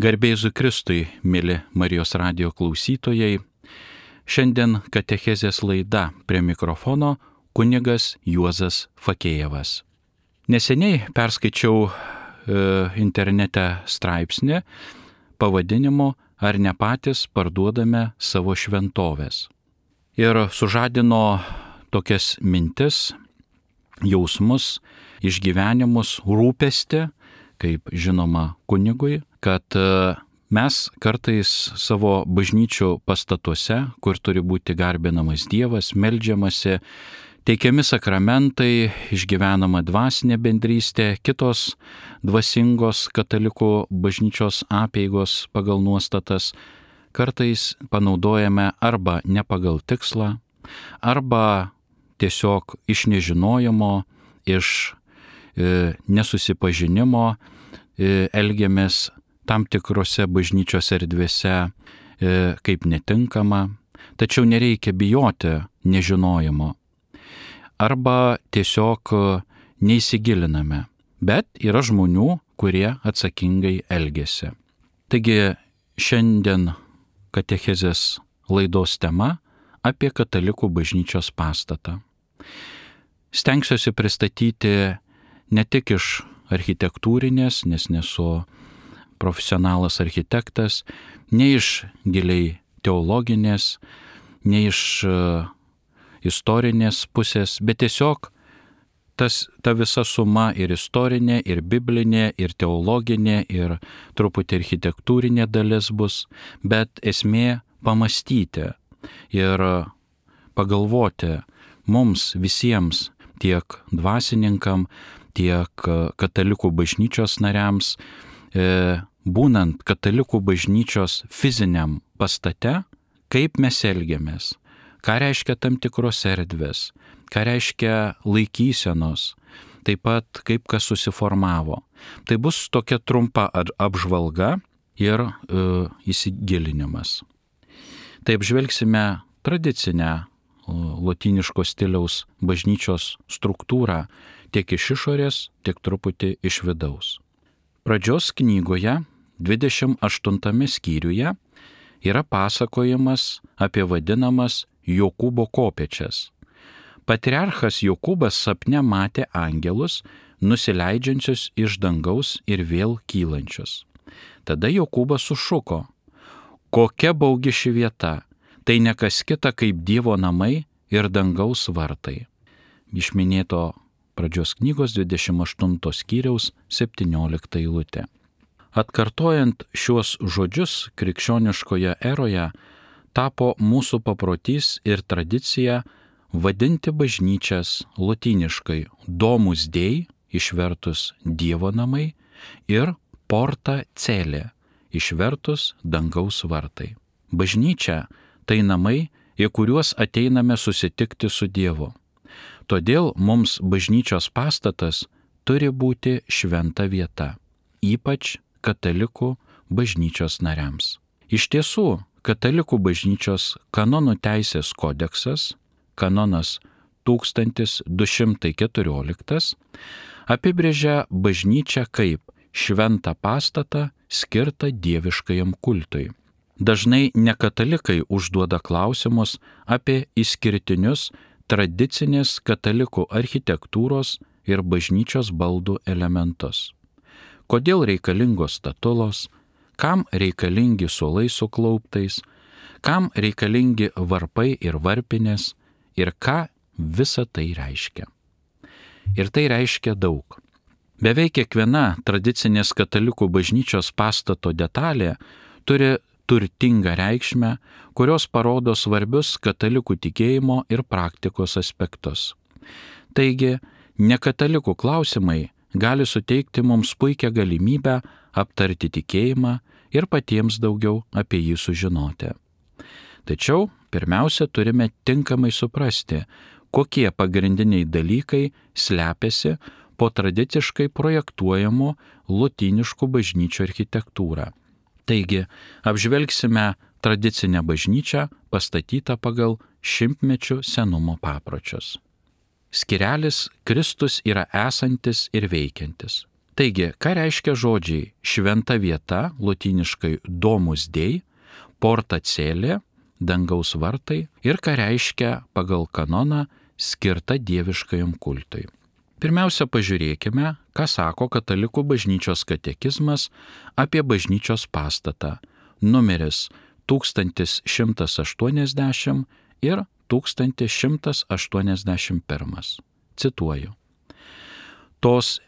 Garbė Jėzui Kristui, mėly Marijos radijo klausytojai. Šiandien katechezės laida, prie mikrofono kunigas Juozas Fakėjevas. Neseniai perskaičiau internete straipsnį pavadinimu "Ar ne patys parduodame savo šventoves?" Ir sužadino tokias mintis, jausmus, išgyvenimus, rūpestį, kaip žinoma kunigui, kad mes kartais savo bažnyčių pastatuose, kur turi būti garbinamas Dievas, meldžiamasi, teikiami sakramentai, išgyvenama dvasinė bendrystė, kitos dvasingos katalikų bažnyčios apeigos pagal nuostatas, kartais panaudojame arba ne pagal tikslą, arba tiesiog iš nežinojimo, iš nesusipažinimo elgiamės tam tikrose bažnyčios erdvėse kaip netinkama, tačiau nereikia bijoti nežinojimo. Arba tiesiog neįsigiliname, bet yra žmonių, kurie atsakingai elgiasi. Taigi šiandien katechezės laidos tema apie katalikų bažnyčios pastatą. Stengsiuosi pristatyti ne tik iš architektūrinės, nes nesu profesionalas architektas, ne iš giliai teologinės, ne iš istorinės pusės, bet tiesiog ta visa suma ir istorinė, ir biblinė, ir teologinė, ir truputį architektūrinė dalis bus, bet esmė pamastyti ir pagalvoti mums visiems, tiek dvasininkam, tiek katalikų bažnyčios nariams, būnant katalikų bažnyčios fiziniam pastate, kaip mes elgiamės, ką reiškia tam tikros erdvės, ką reiškia laikysenos, taip pat kaip kas susiformavo. Tai bus tokia trumpa apžvalga ir įsigilinimas. Tai apžvelgsime tradicinę lotyniško stiliaus bažnyčios struktūrą tiek iš išorės, tiek truputį iš vidaus. Pradžios knygoje, 28 skyriuje, yra pasakojimas apie vadinamas Jokūbo kopėčias. Patriarchas Jokūbas sapne matė angelus, nusileidžiančius iš dangaus ir vėl kylančius. Tada Jokūbas sušuko: "Kokia baugi ši vieta! Tai ne kas kita kaip Dievo namai ir dangaus vartai." Iš minėto pradžios knygos 28 skyriaus 17 eilutė. Atkartojant šiuos žodžius krikščioniškoje eroje tapo mūsų paprotys ir tradicija vadinti bažnyčias lotyniškai Domus Dei, išvertus Dievo namai, ir Porta Cele, išvertus dangaus vartai. Bažnyčia tai namai, į kuriuos ateiname susitikti su Dievu. Todėl mums bažnyčios pastatas turi būti šventa vieta, ypač katalikų bažnyčios nariams. Iš tiesų, katalikų bažnyčios kanonų teisės kodeksas, kanonas 1214, apibrėžia bažnyčią kaip šventą pastatą skirtą dieviškajam kultui. Dažnai nekatalikai užduoda klausimus apie išskirtinius tradicinės katalikų architektūros ir bažnyčios baldų elementus. Kodėl reikalingos statulos, kam reikalingi suolai su klauptais, kam reikalingi varpai ir varpinės ir ką visa tai reiškia. Ir tai reiškia daug. Beveik kiekviena tradicinės katalikų bažnyčios pastato detalė turi turtingą reikšmę, kurios parodo svarbius katalikų tikėjimo ir praktikos aspektus. Taigi, nekatalikų klausimai gali suteikti mums puikią galimybę aptarti tikėjimą ir patiems daugiau apie jį sužinoti. Tačiau, pirmiausia, turime tinkamai suprasti, kokie pagrindiniai dalykai slepiasi po tradiciškai projektuojamų lotyniškų bažnyčių architektūrą. Taigi, apžvelgsime tradicinę bažnyčią pastatytą pagal šimtmečių senumo papročius. Skyrelis Kristus yra esantis ir veikiantis. Taigi, ką reiškia žodžiai šventa vieta, lotyniškai domus dei, porta celė, dangaus vartai, ir ką reiškia pagal kanoną skirta dieviškajam kultui. Pirmiausia, pažiūrėkime, ką sako Katalikų bažnyčios katekizmas apie bažnyčios pastatą, numeris 1180 ir 1181. Cituoju. Tos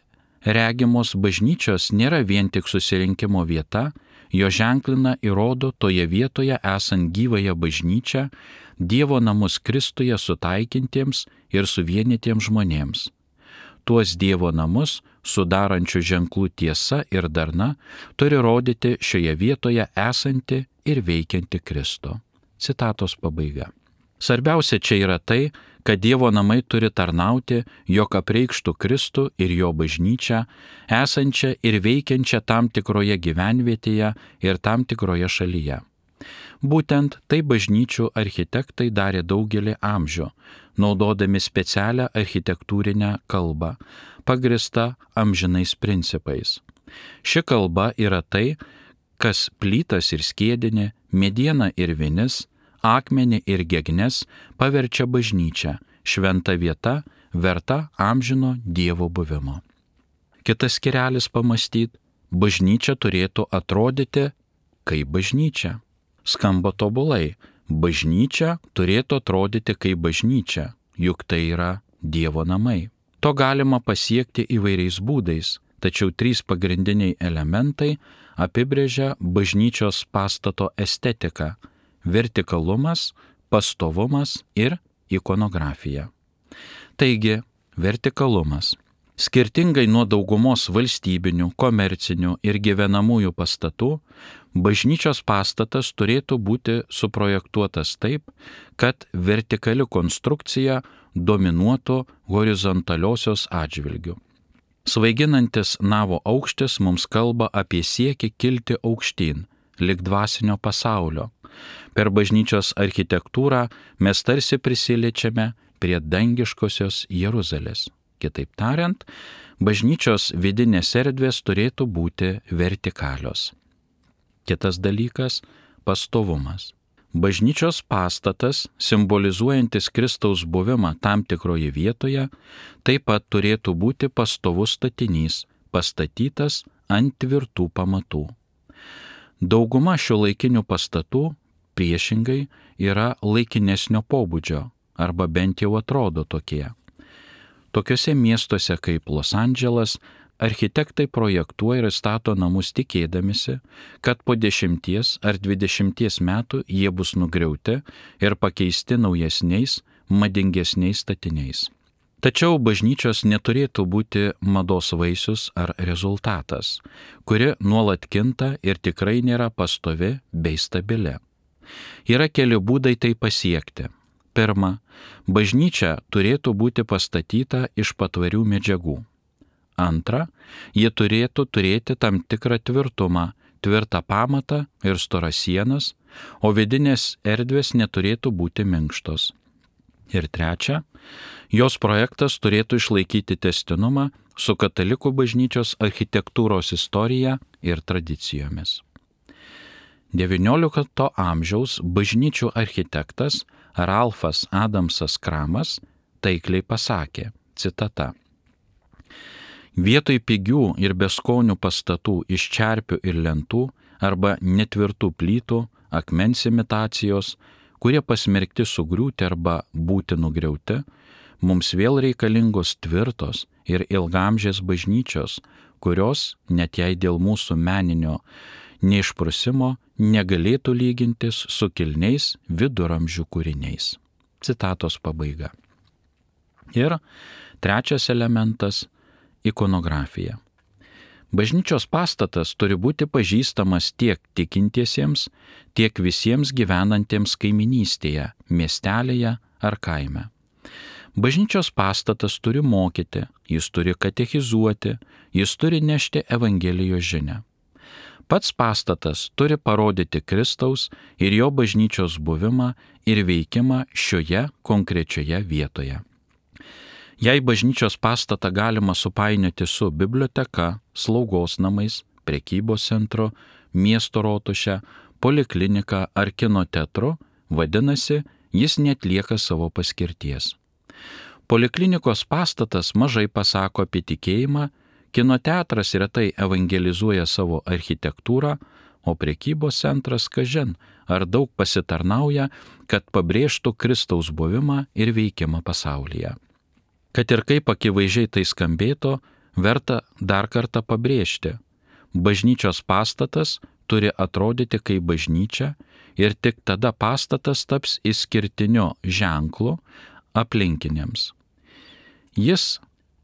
regimos bažnyčios nėra vien tik susirinkimo vieta, jo ženklina ir rodo toje vietoje esant gyvąją bažnyčią, Dievo namus Kristuje sutaikintiems ir suvienytiems žmonėms. Tuos Dievo namus, sudarančių ženklų tiesa ir darna, turi rodyti šioje vietoje esanti ir veikianti Kristų. Citatos pabaiga. Svarbiausia čia yra tai, kad Dievo namai turi tarnauti, jog apreikštų Kristų ir jo bažnyčią, esančią ir veikiančią tam tikroje gyvenvietėje ir tam tikroje šalyje. Būtent tai bažnyčių architektai darė daugelį amžių, naudodami specialią architektūrinę kalbą, pagristą amžinais principais. Ši kalba yra tai, kas plytas ir skiedinį, medieną ir vinis, akmenį ir gegnes paverčia bažnyčia, šventa vieta, verta amžino Dievo buvimo. Kitas skyrelis pamąstyti, bažnyčia turėtų atrodyti kaip bažnyčia. Skamba tobulai, bažnyčia turėtų atrodyti kaip bažnyčia, juk tai yra Dievo namai. To galima pasiekti įvairiais būdais, tačiau 3 pagrindiniai elementai apibrėžia bažnyčios pastato estetiką: vertikalumas, pastovumas ir ikonografija. Taigi, vertikalumas. Skirtingai nuo daugumos valstybinių, komercinių ir gyvenamųjų pastatų, bažnyčios pastatas turėtų būti suprojektuotas taip, kad vertikali konstrukcija dominuotų horizontaliosios atžvilgiu. Svaiginantis navo aukštis mums kalba apie siekį kilti aukštyn, lig dvasinio pasaulio. Per bažnyčios architektūrą mes tarsi prisiliečiame prie dangiškosios Jeruzalės. Kitaip tariant, bažnyčios vidinės erdvės turėtų būti vertikalios. Kitas dalykas – pastovumas. Bažnyčios pastatas, simbolizuojantis Kristaus buvimą tam tikroje vietoje, taip pat turėtų būti pastovus statinys, pastatytas ant tvirtų pamatų. Dauguma šiuolaikinių pastatų, priešingai, yra laikinesnio pobūdžio, arba bent jau atrodo tokie. Tokiuose miestuose kaip Los Andželas architektai projektuoja ir stato namus tikėdamisi, kad po 10 ar 20 metų jie bus nugriauti ir pakeisti naujesniais, madingesniais statiniais. Tačiau bažnyčios neturėtų būti mados vaisius ar rezultatas, kuri nuolat kinta ir tikrai nėra pastovi bei stabili. Yra keli būdai tai pasiekti. Pirma, bažnyčia turėtų būti pastatyta iš patvarių medžiagų. Antra, ji turėtų turėti tam tikrą tvirtumą, tvirtą pamatą ir storas sienas, o vidinės erdvės neturėtų būti minkštos. Ir trečia, jos projektas turėtų išlaikyti tęstinumą su katalikų bažnyčios architektūros istorija ir tradicijomis. XIX amžiaus bažnyčių architektas Ralfas Adamsas Kramas taikliai pasakė, citata: vietoj pigių ir beskonių pastatų iš čerpių ir lentų arba netvirtų plytų, akmens imitacijos, kurie pasmerkti sugriūti arba būti nugriauti, mums vėl reikalingos tvirtos ir ilgamžės bažnyčios, kurios, net jei dėl mūsų meninio neišprusimo, negalėtų lygintis su kilniais viduramžių kūriniais. Citatos pabaiga. Ir trečias elementas – ikonografija. Bažnyčios pastatas turi būti pažįstamas tiek tikintiesiems, tiek visiems gyvenantiems kaiminystėje, miestelėje ar kaime. Bažnyčios pastatas turi mokyti, jis turi katechizuoti, jis turi nešti Evangelijos žinią. Pats pastatas turi parodyti Kristaus ir jo bažnyčios buvimą ir veikimą šioje konkrečioje vietoje. Jei bažnyčios pastatą galima supainioti su biblioteka, slaugos namais, prekybos centru, miesto rotuše, poliklinika ar kino teatru, vadinasi, jis neatlieka savo paskirties. Poliklinikos pastatas mažai pasako apie tikėjimą, kino teatras retai evangelizuoja savo architektūrą, o prekybos centras, kažin, ar daug pasitarnauja, kad pabrėžtų Kristaus buvimą ir veikimą pasaulyje. Kad ir kaip akivaizdžiai tai skambėtų, verta dar kartą pabrėžti, bažnyčios pastatas turi atrodyti kaip bažnyčia ir tik tada pastatas taps išskirtiniu ženklu aplinkiniams. Jis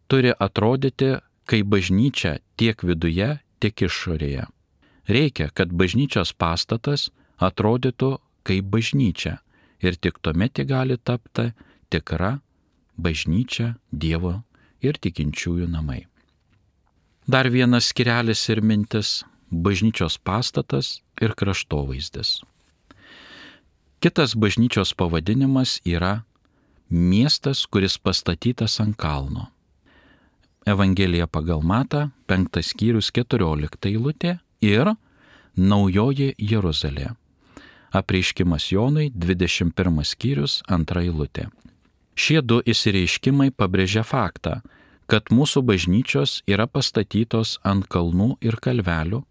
turi atrodyti kaip bažnyčia tiek viduje, tiek išorėje. Reikia, kad bažnyčios pastatas atrodytų kaip bažnyčia ir tik tuomet ji gali tapti tikra bažnyčia, Dievo ir tikinčiųjų namai. Dar vienas skirelis ir mintis – bažnyčios pastatas ir kraštovaizdis. Kitas bažnyčios pavadinimas yra miestas, kuris pastatytas ant kalno. Evangelija pagal Matą, 5 skyrius 14 eilutė ir Naujoji Jeruzalė. Apreiškimas Jonui, 21 skyrius 2 eilutė. Šie du išsireiškimai pabrėžia faktą, kad mūsų bažnyčios yra pastatytos ant kalnų ir kalvelių,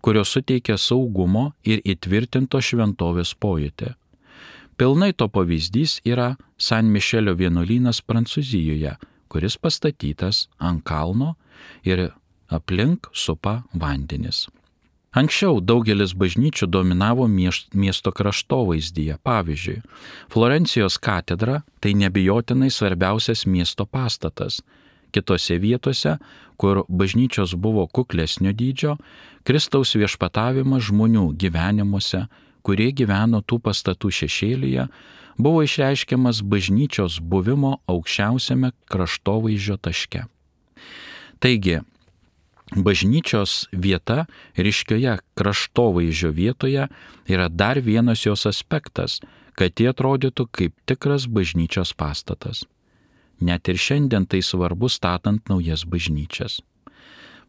kurios suteikia saugumo ir įtvirtinto šventovės pojūtį. Pilnai to pavyzdys yra San Mišelio vienuolynas Prancūzijoje, kuris pastatytas ant kalno ir aplink supa vandenis. Anksčiau daugelis bažnyčių dominavo miesto kraštovaizdyje. Pavyzdžiui, Florencijos katedra tai neabejotinai svarbiausias miesto pastatas. Kitose vietose, kur bažnyčios buvo kuklesnio dydžio, Kristaus viešpatavimas žmonių gyvenimuose, kurie gyveno tų pastatų šešėlyje, buvo išreiškiamas bažnyčios buvimo aukščiausiame kraštovaizdžio taške. Taigi, bažnyčios vieta ryškioje kraštovaizdžio vietoje yra dar vienas jos aspektas, kad jie atrodytų kaip tikras bažnyčios pastatas. Net ir šiandien tai svarbu statant naujas bažnyčias.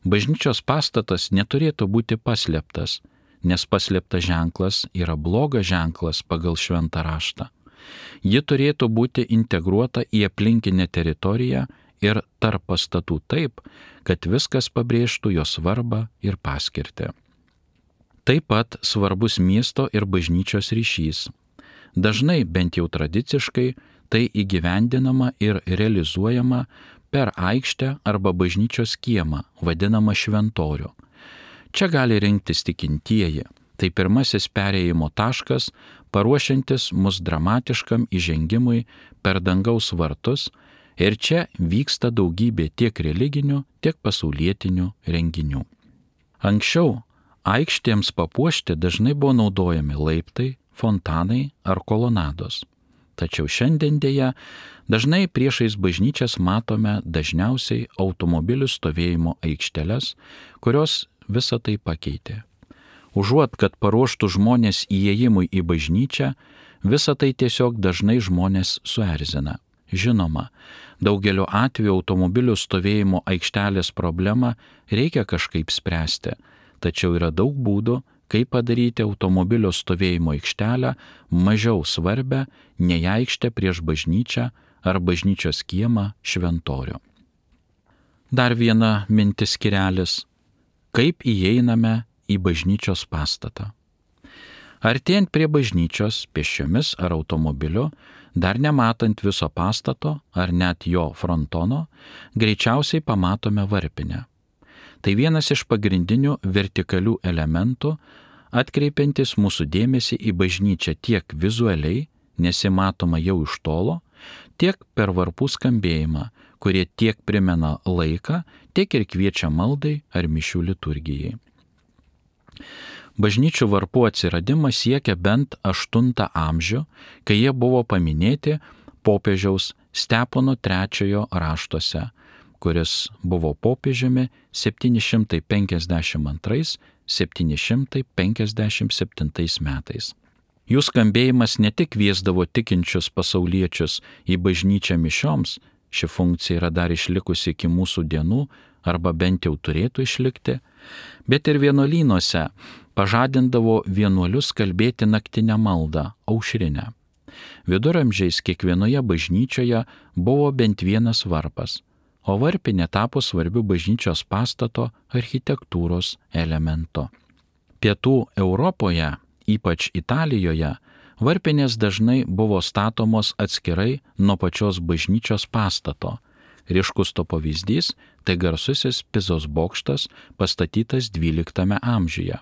Bažnyčios pastatas neturėtų būti paslėptas, nes paslėptas ženklas yra blogas ženklas pagal šventą raštą. Ji turėtų būti integruota į aplinkinę teritoriją ir tarp pastatų taip, kad viskas pabrėžtų jo svarbą ir paskirtį. Taip pat svarbus miesto ir bažnyčios ryšys. Dažnai, bent jau tradiciškai, tai įgyvendinama ir realizuojama per aikštę arba bažnyčios kiemą, vadinamą šventorių. Čia gali rinktis tikintieji. Tai pirmasis perėjimo taškas, paruošiantis mus dramatiškam įžengimui per dangaus vartus, ir čia vyksta daugybė tiek religinių, tiek pasaulietinių renginių. Anksčiau aikštėms papuošti dažnai buvo naudojami laiptai, fontanai ar kolonados. Tačiau šiandien dėja dažnai priešais bažnyčias matome dažniausiai automobilių stovėjimo aikšteles, kurios visą tai pakeitė. Užuot, kad paruoštų žmonės įėjimui į bažnyčią, visą tai tiesiog dažnai žmonės suerzina. Žinoma, daugeliu atveju automobilių stovėjimo aikštelės problemą reikia kažkaip spręsti, tačiau yra daug būdų, kaip padaryti automobilio stovėjimo aikštelę mažiau svarbę nei aikštę prieš bažnyčią ar bažnyčios kiemą šventorių. Dar viena mintis skirelis – kaip įeiname į bažnyčios pastatą. Artėjant prie bažnyčios pėsčiomis ar automobiliu, dar nematant viso pastato ar net jo frontono, greičiausiai pamatome varpinę. Tai vienas iš pagrindinių vertikalių elementų, atkreipiantis mūsų dėmesį į bažnyčią tiek vizualiai, nesimatoma jau iš tolo, tiek per varpų skambėjimą, kurie tiek primena laiką, tiek ir kviečia maldai ar mišių liturgijai. Bažnyčių varpų atsiradimas siekia bent 8 amžių, kai jie buvo paminėti popiežiaus Stepono III raštuose, kuris buvo popiežiumi 752-757 metais. Jų skambėjimas ne tik kviesdavo tikinčius pasauliečius į bažnyčią mišioms, ši funkcija yra dar išlikusi iki mūsų dienų, arba bent jau turėtų išlikti, bet ir vienuolynuose pažadindavo vienuolius kalbėti naktinę maldą, aušrinę. Viduramžiais kiekvienoje bažnyčioje buvo bent vienas varpas, o varpinė tapo svarbiu bažnyčios pastato architektūros elementu. Pietų Europoje, ypač Italijoje, varpinės dažnai buvo statomos atskirai nuo pačios bažnyčios pastato. Ryškus to pavyzdys – tai garsusis Pizos bokštas, pastatytas XII amžiuje.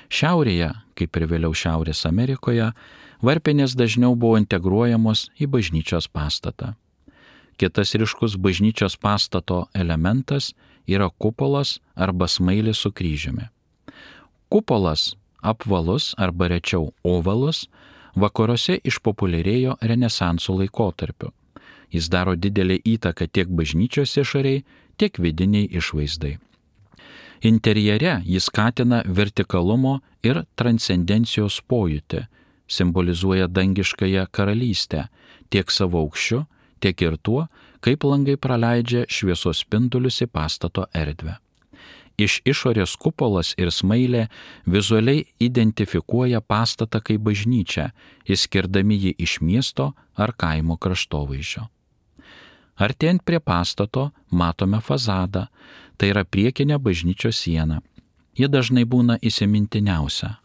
Šiaurėje, kaip ir vėliau Šiaurės Amerikoje, varpinės dažniau buvo integruojamos į bažnyčios pastatą. Kitas ryškus bažnyčios pastato elementas yra kupolas arba smailis su kryžiumi. Kupolas, apvalus arba rečiau ovalus, vakaruose išpopuliarėjo Renesanso laikotarpiu. Jis daro didelę įtaką tiek bažnyčios išorei, tiek vidiniai išvaizdai. Interjere jis skatina vertikalumo ir transcendencijos pojūtį, simbolizuoja dangiškąją karalystę tiek savo aukščiu, tiek ir tuo, kaip langai praleidžia šviesos spindulius į pastato erdvę. Iš išorės kupolas ir smailė vizualiai identifikuoja pastatą kaip bažnyčią, išskirdami jį iš miesto ar kaimo kraštovaizdžio. Artėjant prie pastato matome fasadą, tai yra priekinė bažnyčios siena. Ji dažnai būna įsimintiniausia.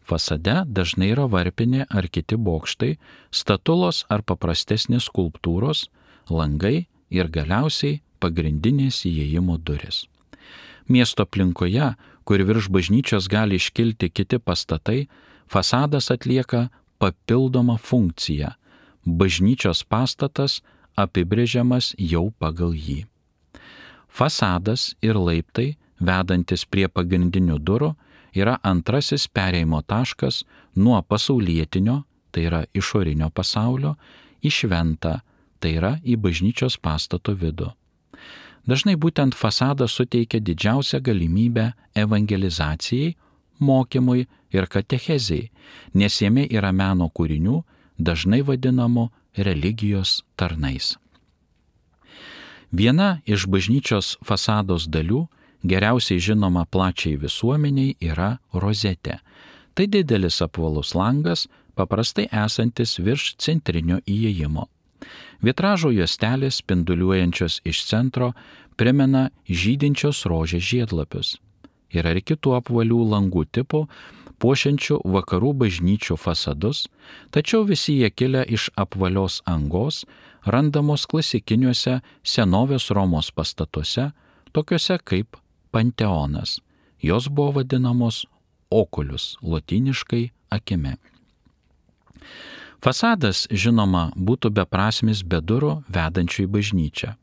Fasade dažnai yra varpinė ar kiti bokštai, statulos ar paprastesnės skulptūros, langai ir galiausiai pagrindinės įėjimo durys. Miesto aplinkoje, kur virš bažnyčios gali iškilti kiti pastatai, fasadas atlieka papildomą funkciją. Bažnyčios pastatas apibrėžiamas jau pagal jį. Fasadas ir laiptai, vedantis prie pagrindinių durų, yra antrasis perėjimo taškas nuo pasaulietinio, tai yra išorinio pasaulio, į šventą, tai yra į bažnyčios pastato vidų. Dažnai būtent fasadas suteikia didžiausią galimybę evangelizacijai, mokymui ir katechezijai, nes jame yra meno kūrinių, dažnai vadinamų religijos tarnais. Viena iš bažnyčios fasados dalių, geriausiai žinoma plačiai visuomeniai, yra rozetė. Tai didelis apvalus langas, paprastai esantis virš centrinio įėjimo. Vitražo juostelės spinduliuojančios iš centro primena žydinčios rožės žiedlapius. Yra ir kitų apvalių langų tipų, puošiančių vakarų bažnyčių fasadus, tačiau visi jie kilę iš apvalios angos, randamos klasikiniuose senovės Romos pastatuose, tokiuose kaip Panteonas. Jos buvo vadinamos oculius, lotyniškai akimi. Fasadas, žinoma, būtų beprasmis be durų vedančių į bažnyčią.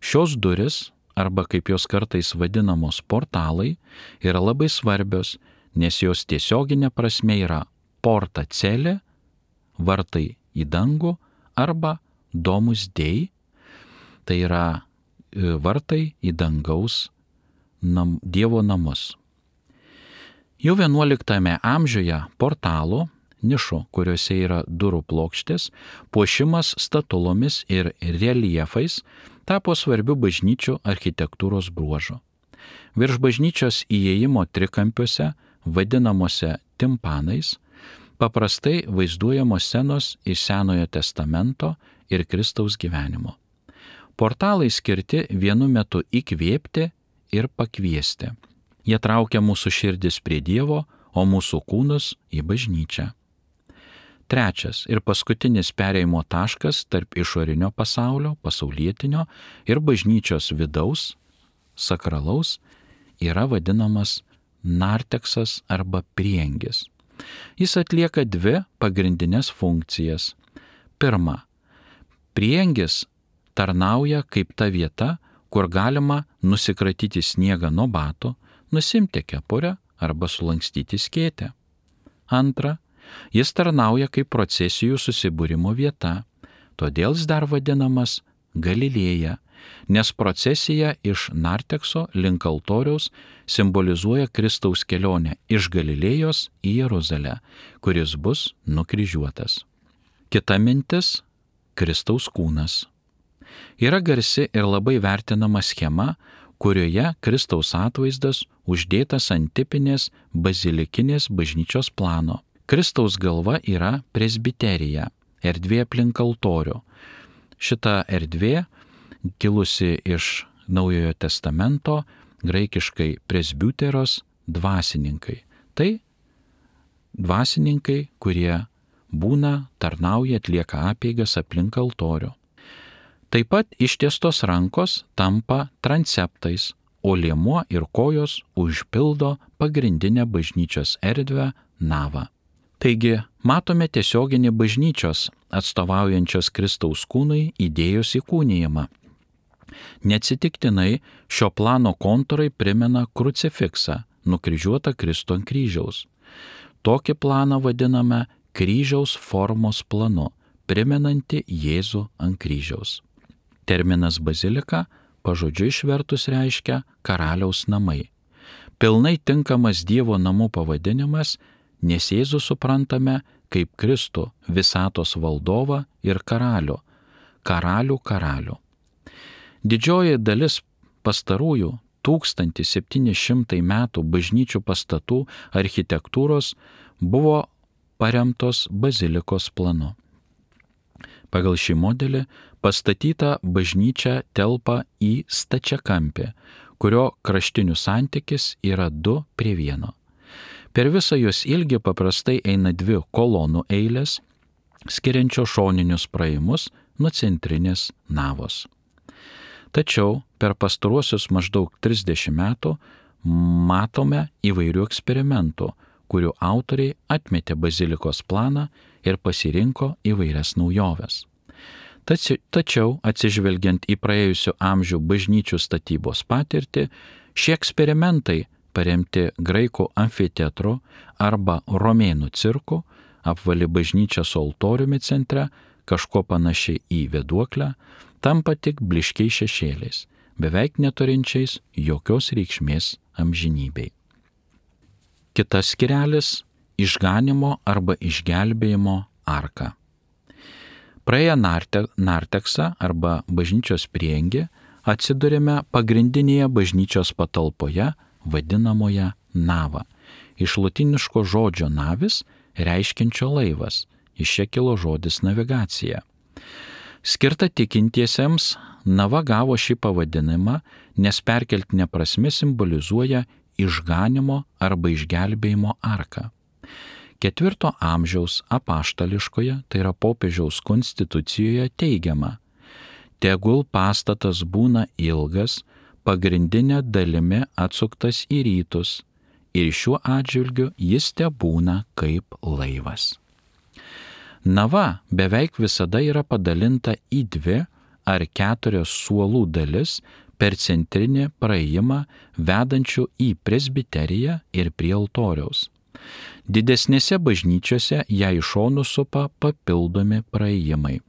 Šios duris, arba kaip jos kartais vadinamos portalai, yra labai svarbios, nes jos tiesioginė prasme yra porta celė, vartai į dangų, arba domus dei, tai yra vartai į dangaus Dievo namus. Jau 11 amžiuje portalų, nišų, kuriuose yra durų plokštės, puošimas statulomis ir reljefais tapo svarbiu bažnyčių architektūros bruožu. Virš bažnyčios įėjimo trikampiuose, vadinamuose timpanais, paprastai vaizduojamos scenos iš Senojo testamento ir Kristaus gyvenimo. Portalai skirti vienu metu įkvėpti ir pakviesti. Jie traukia mūsų širdis prie Dievo, o mūsų kūnus į bažnyčią. Trečias ir paskutinis perėjimo taškas tarp išorinio pasaulio, pasaulietinio ir bažnyčios vidaus, sakralaus, yra vadinamas narteksas arba priengis. Jis atlieka dvi pagrindinės funkcijas. Pirma, priengis tarnauja kaip ta vieta, kur galima nusikratyti sniegą nuo batų, nusimti kepurę arba sulankstyti skėtę. Antra, jis tarnauja kaip procesijų susibūrimo vieta, todėl jis dar vadinamas Galilėja, nes procesija iš nartekso link altoriaus simbolizuoja Kristaus kelionę iš Galilėjos į Jeruzalę, kuris bus nukryžiuotas. Kita mintis – Kristaus kūnas. Yra garsi ir labai vertinama schema, kurioje Kristaus atvaizdas uždėtas ant tipinės bazilikinės bažnyčios plano. Kristaus galva yra presbiterija, erdvė aplink altorių. Šita erdvė, kilusi iš Naujojo testamento, graikiškai presbiteros, dvasininkai. Tai dvasininkai, kurie tarnauja, atlieka apeigas aplink altorių. Taip pat ištiestos rankos tampa transeptais, o liemuo ir kojos užpildo pagrindinę bažnyčios erdvę navą. Taigi, matome tiesioginį bažnyčios atstovaujančios Kristaus kūnui idėjos įkūnijimą. Neatsitiktinai šio plano kontūrai primena krucifiksą, nukryžiuotą Kristų ant kryžiaus. Tokį planą vadiname kryžiaus formos planu, primenanti Jėzų ant kryžiaus. Terminas bazilika pažodžiui išvertus reiškia karaliaus namai. Pilnai tinkamas Dievo namų pavadinimas, nes Jėzų suprantame kaip Kristų visatos valdovą ir karalių, karalių. Didžioji dalis pastarųjų 1700 metų bažnyčių pastatų architektūros buvo paremtos bazilikos planu. Pagal šį modelį pastatyta bažnyčia telpa į stačiakampį, kurio kraštinių santykis yra 2:1. Per visą jos ilgį paprastai eina 2 kolonų eilės, skiriančios šoninius praėjimus nuo centrinės navos. Tačiau per pastaruosius maždaug 30 metų matome įvairių eksperimentų, kurių autoriai atmetė bazilikos planą ir pasirinko įvairias naujoves. Tačiau, atsižvelgiant į praėjusių amžių bažnyčių statybos patirtį, šie eksperimentai, paremti graikų amfiteatru arba romėnų cirku, apvali bažnyčia su altoriumi centre, kažko panašiai į vėduoklę, tampa tik blyškiais šešėliais, beveik neturinčiais jokios reikšmės amžinybei. Kitas skirelis – išganimo arba išgelbėjimo arka. Praėję narteksą arba bažnyčios prieangį atsidurime pagrindinėje bažnyčios patalpoje, vadinamoje nava. Iš lotyniško žodžio navis reiškiančio laivas, iš čia kilo žodis navigacija. Skirta tikintiesiems, nava gavo šį pavadinimą, nes perkeltinė prasme simbolizuoja išganimo arba išgelbėjimo arką. 4 amžiaus apaštališkoje, tai yra popiežiaus konstitucijoje teigiama: tegul pastatas būna ilgas, pagrindinė dalimi atsuktas į rytus, ir šiuo atžvilgiu jis tebūna kaip laivas. Nava beveik visada yra padalinta į 2 ar 4 suolų dalis per centrinį praėjimą vedančių į presbiteriją ir prie altoriaus. Didesnėse bažnyčiose ją iš šonų supa papildomi praėjimai.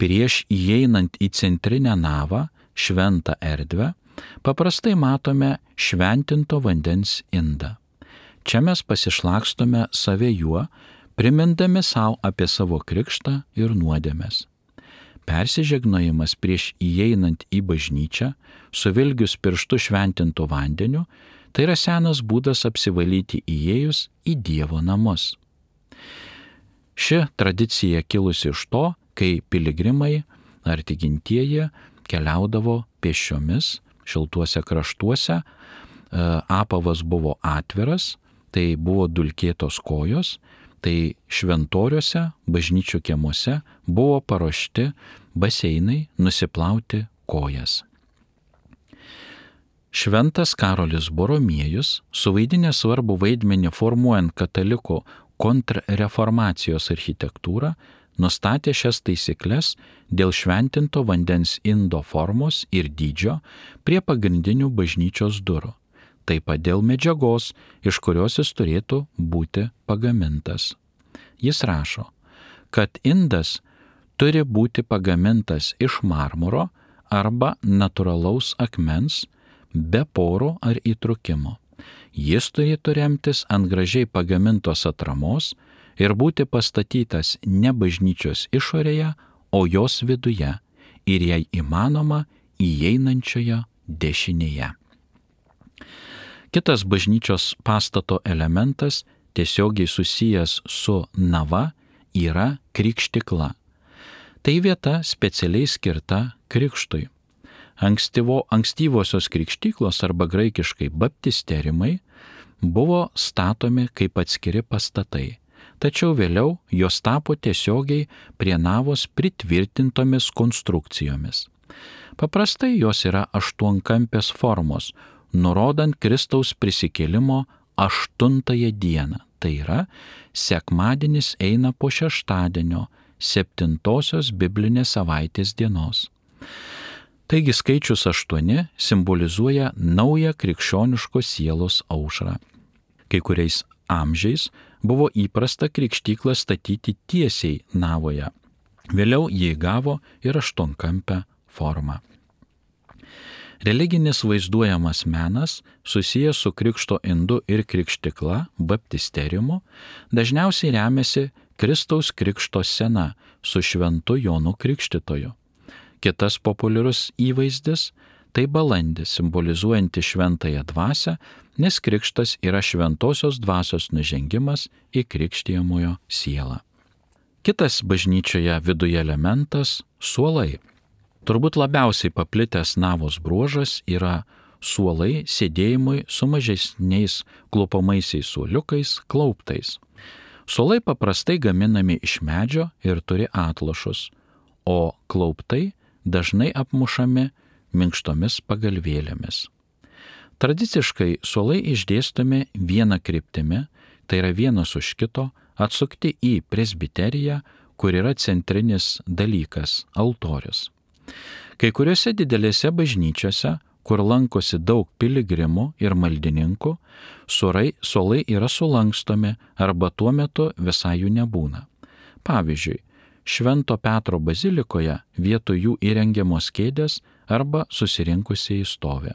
Prieš įeinant į centrinę navą, šventą erdvę, paprastai matome šventinto vandens indą. Čia mes pasišlakstome save juo, primindami savo apie savo krikštą ir nuodėmes. Persižegnojimas prieš įeinant į bažnyčią, suvilgius pirštu šventintu vandeniu, tai yra senas būdas apsivalyti įėjus į Dievo namus. Ši tradicija kilusi iš to, kai piligrimai ar tikintieji keliaudavo pėsčiomis šiltuose kraštuose, apavas buvo atviras, tai buvo dulkėtos kojos, tai šventoriuose, bažnyčių kiemuose buvo paruošti baseinai nusiplauti kojas. Šventas Karolis Boromiejus, suvaidinęs svarbų vaidmenį formuojant katalikų kontrreformacijos architektūrą, nustatė šias taisykles dėl šventinto vandens indo formos ir dydžio prie pagrindinių bažnyčios durų, taip pat dėl medžiagos, iš kurios jis turėtų būti pagamintas. Jis rašo, kad indas turi būti pagamintas iš marmuro arba natūralaus akmens, be porų ar įtrūkimo. Jis turėtų remtis ant gražiai pagamintos atramos ir būti pastatytas ne bažnyčios išorėje, o jos viduje, ir jei įmanoma įeinančioje dešinėje. Kitas bažnyčios pastato elementas, tiesiogiai susijęs su nava, yra krikštikla. Tai vieta specialiai skirta krikštui. Ankstyvosios krikštyklos arba graikiškai baptisterimai buvo statomi kaip atskiri pastatai, tačiau vėliau jos tapo tiesiogiai prie navos pritvirtintomis konstrukcijomis. Paprastai jos yra aštuonkampės formos, nurodant Kristaus prisikėlimo 8 dieną. Tai yra, sekmadienis eina po šeštadienio 7 biblinės savaitės dienos. Taigi skaičius 8 simbolizuoja naują krikščioniškos sielos aušrą. Kai kuriais amžiais buvo įprasta krikštyklą statyti tiesiai navoje. Vėliau jį įgavo ir aštuonkampę formą. Religinis vaizduojamas menas, susijęs su krikšto indu ir krikštikla, baptisteriumu, dažniausiai remiasi Kristaus krikšto scena su šventu Jonu Krikštytoju. Kitas populiarus įvaizdis – tai balandis, simbolizuojanti šventąją dvasią, nes krikštas yra šventosios dvasios nužengimas į krikštijamojo sielą. Kitas bažnyčioje viduje elementas – suolai. Turbūt labiausiai paplitęs navos bruožas yra suolai sėdėjimui su mažesniais klupamaisiais suoliukais, klauptais. Suolai paprastai gaminami iš medžio ir turi atlošus, o klauptai dažnai apmušami minkštomis pagalvėlėmis. Tradiciškai suolai išdėstomi viena kryptimi, tai yra vienas už kito, atsukti į presbiteriją, kur yra centrinis dalykas – altorius. Kai kuriuose didelėse bažnyčiose, kur lankosi daug piligrimų ir maldininkų, suolai yra sulankstomi arba tuo metu visai jų nebūna. Pavyzdžiui, Švento Petro bazilikoje vietoj jų įrengiamos kėdės arba susirinkusieji stovi.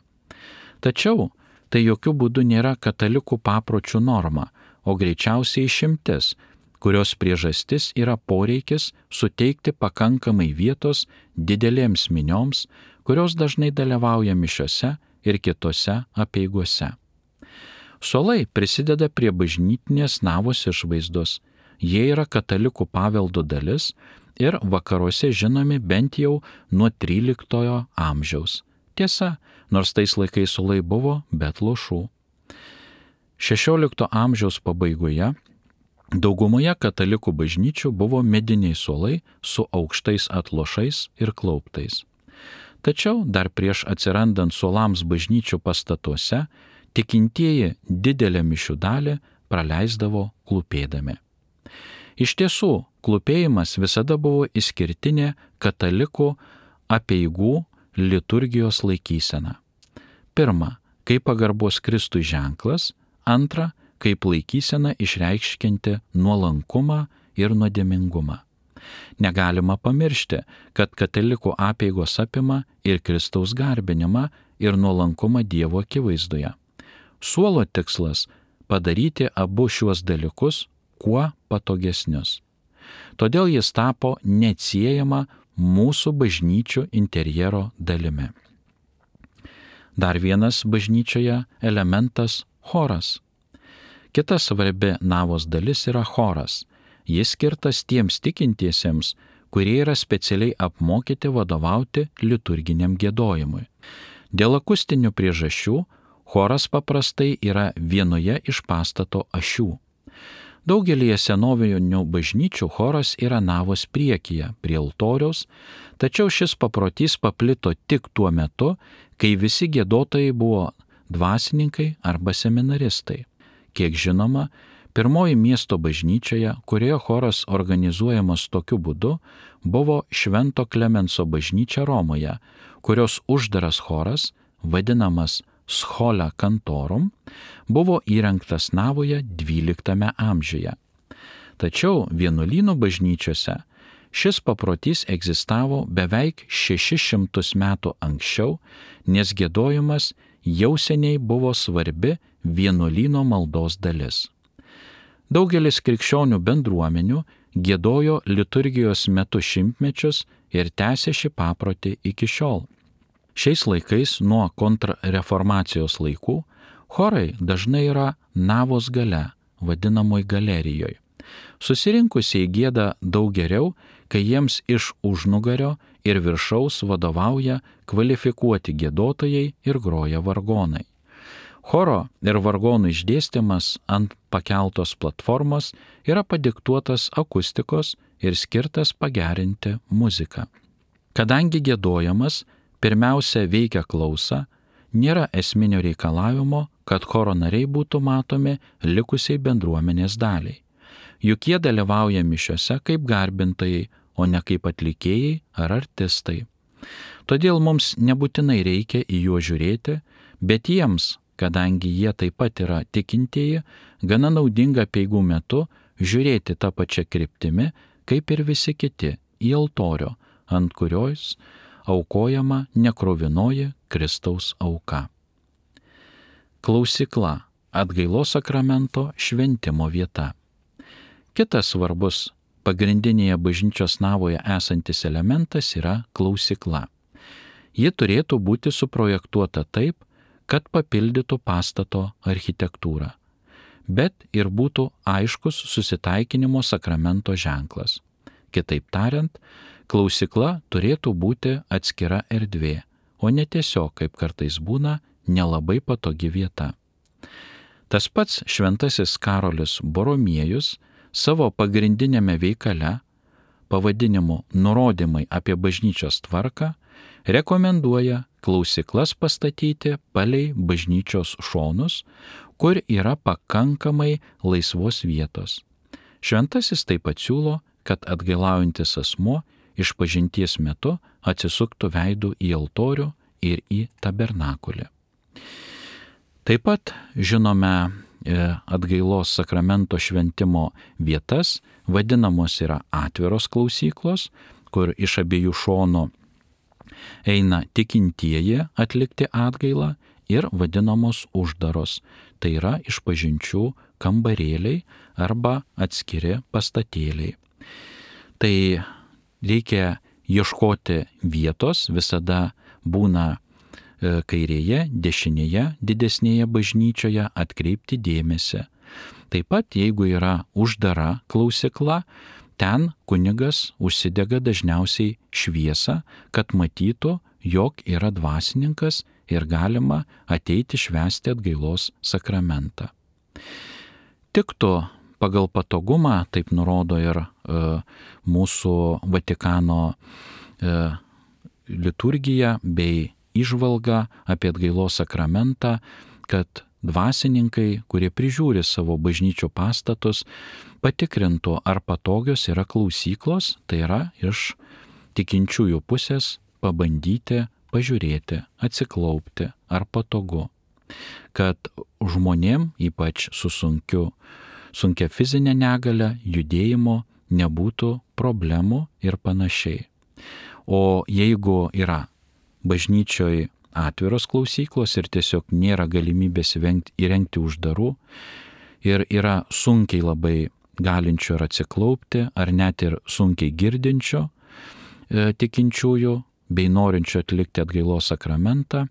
Tačiau tai jokių būdų nėra katalikų papročių norma, o greičiausiai išimtis, kurios priežastis yra poreikis suteikti pakankamai vietos didelėms minioms, kurios dažnai dalyvauja mišiose ir kitose apeigose. Suolai prisideda prie bažnytinės navos išvaizdos, jie yra katalikų paveldo dalis ir vakaruose žinomi bent jau nuo 13 amžiaus. Tiesa, nors tais laikais suolai buvo be atlošų. 16 amžiaus pabaigoje daugumoje katalikų bažnyčių buvo mediniai suolai su aukštais atlošais ir klauptais. Tačiau dar prieš atsirandant suolams bažnyčių pastatuose, tikintieji didelę mišių dalį praleisdavo klūpėdami. Iš tiesų, klūpėjimas visada buvo išskirtinė katalikų apeigų liturgijos laikysena. Pirma, kaip pagarbos Kristui ženklas, antra, kaip laikysena išreikškinti nuolankumą ir nuodėmingumą. Negalima pamiršti, kad katalikų apeigos apima ir Kristaus garbinimą ir nuolankumą Dievo akivaizdoje. Suolo tikslas – padaryti abu šiuos dalykus kuo patogesnius. Todėl jis tapo neatsiejama mūsų bažnyčių interjero dalimi. Dar vienas bažnyčioje elementas – choras. Kita svarbi navos dalis yra choras. Jis skirtas tiems tikintiesiems, kurie yra specialiai apmokyti vadovauti liturginiam giedojimui. Dėl akustinių priežasčių choras paprastai yra vienoje iš pastato ašių. Daugelyje senovinių bažnyčių choras yra navos priekyje, prie altoriaus, tačiau šis paprotys paplito tik tuo metu, kai visi giedotojai buvo dvasininkai arba seminaristai. Kiek žinoma, pirmoji miesto bažnyčioje, kurioje choras organizuojamas tokiu būdu, buvo Švento Klemenso bažnyčia Romoje, kurios uždaras choras, vadinamas Schola Cantorum, buvo įrengtas navoje 12 amžiuje. Tačiau vienuolynų bažnyčiose šis paprotys egzistavo beveik 600 metų anksčiau, nes giedojimas jau seniai buvo svarbi vienuolyno maldos dalis. Daugelis krikščionių bendruomenių giedojo liturgijos metu šimtmečius ir tęsė šį paprotį iki šiol. Šiais laikais nuo kontrreformacijos laikų chorai dažnai yra navos gale, vadinamoj galerijoje. Susirinkusieji gieda daug geriau, kai jiems iš užnugario ir viršaus vadovauja kvalifikuoti giedotojai ir groja vargonai. Choro ir vargonų išdėstymas ant pakeltos platformos yra padiktuotas akustikos ir skirtas pagerinti muziką. Kadangi giedojimas pirmiausia veikia klausą, nėra esminio reikalavimo, kad choro nariai būtų matomi likusiai bendruomenės daliai. Juk jie dalyvauja mišiose kaip garbintojai, o ne kaip atlikėjai ar artistai. Todėl mums nebūtinai reikia į juos žiūrėti, bet jiems, kadangi jie taip pat yra tikintieji, gana naudinga peigų metu žiūrėti tą pačią kryptimi, kaip ir visi kiti, į altorių, ant kurios aukojama nekruvinoji Kristaus auka. Klausykla – atgailos sakramento šventimo vieta. Kitas svarbus pagrindinėje bažnyčios navoje esantis elementas yra klausykla. Ji turėtų būti suprojektuota taip, kad papildytų pastato architektūrą, bet ir būtų aiškus susitaikinimo sakramento ženklas. Kitaip tariant, klausykla turėtų būti atskira erdvė, o ne tiesiog, kaip kartais būna, nelabai patogi vieta. Tas pats šventasis Karolis Boromiejus savo pagrindinėme veikale, pavadinimu Nurodymai apie bažnyčios tvarką, rekomenduoja klausyklas pastatyti palei bažnyčios šonus, kur yra pakankamai laisvos vietos. Šventasis taip pat siūlo, kad atgailaujantis asmuo išpažinties metu atsisuktų veidu į altorių ir į tabernakulį. Taip pat žinome atgailos sakramento šventimo vietas, vadinamos yra atviros klausyklos, kur iš abiejų šonų eina tikintieji atlikti atgailą, ir vadinamos uždaros, tai yra išpažinčių kambarėliai arba atskiri pastatėliai. Tai reikia ieškoti vietos, visada būna kairėje, dešinėje, didesnėje bažnyčioje atkreipti dėmesį. Taip pat, jeigu yra uždara klausykla, ten kunigas užsidega dažniausiai šviesą, kad matytų, jog yra dvasininkas ir galima ateiti švęsti atgailos sakramentą. Tiktų pagal patogumą, taip nurodo ir mūsų Vatikano liturgija bei įžvalga apie atgailos sakramentą, kad dvasininkai, kurie prižiūri savo bažnyčių pastatus, patikrintų, ar patogios yra klausyklos, tai yra iš tikinčiųjų pusės pabandyti, pažiūrėti, atsiklaupti, ar patogu. Kad žmonėm, ypač su sunkia fizinė negalia, judėjimo nebūtų problemų ir panašiai. O jeigu yra bažnyčioje atviros klausyklos ir tiesiog nėra galimybės įrengti uždarų ir yra sunkiai labai galinčio ir atsiklaupti, ar net ir sunkiai girdinčio tikinčiųjų bei norinčio atlikti atgailos sakramentą,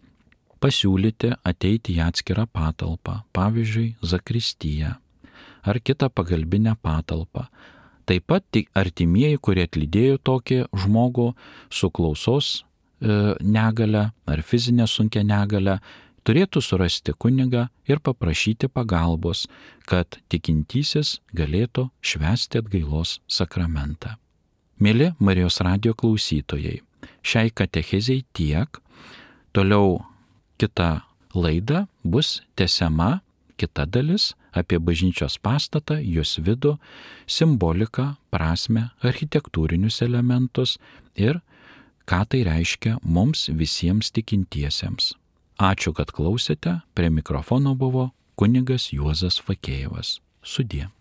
pasiūlyti ateiti į atskirą patalpą, pavyzdžiui, zakristiją ar kitą pagalbinę patalpą. Taip pat tik artimieji, kurie atlydėjo tokį žmogų su klausos negale ar fizinė sunkia negale, turėtų surasti kunigą ir paprašyti pagalbos, kad tikintysis galėtų švęsti atgailos sakramentą. Mieli Marijos radijo klausytojai, šiai katechezei tiek. Toliau kita laida bus tęsiama, kita dalis apie bažnyčios pastatą, jos vidų, simboliką, prasmę, architektūrinius elementus ir ką tai reiškia mums visiems tikintiesiems. Ačiū, kad klausėte, prie mikrofono buvo kunigas Juozas Fakėjevas. Sudie.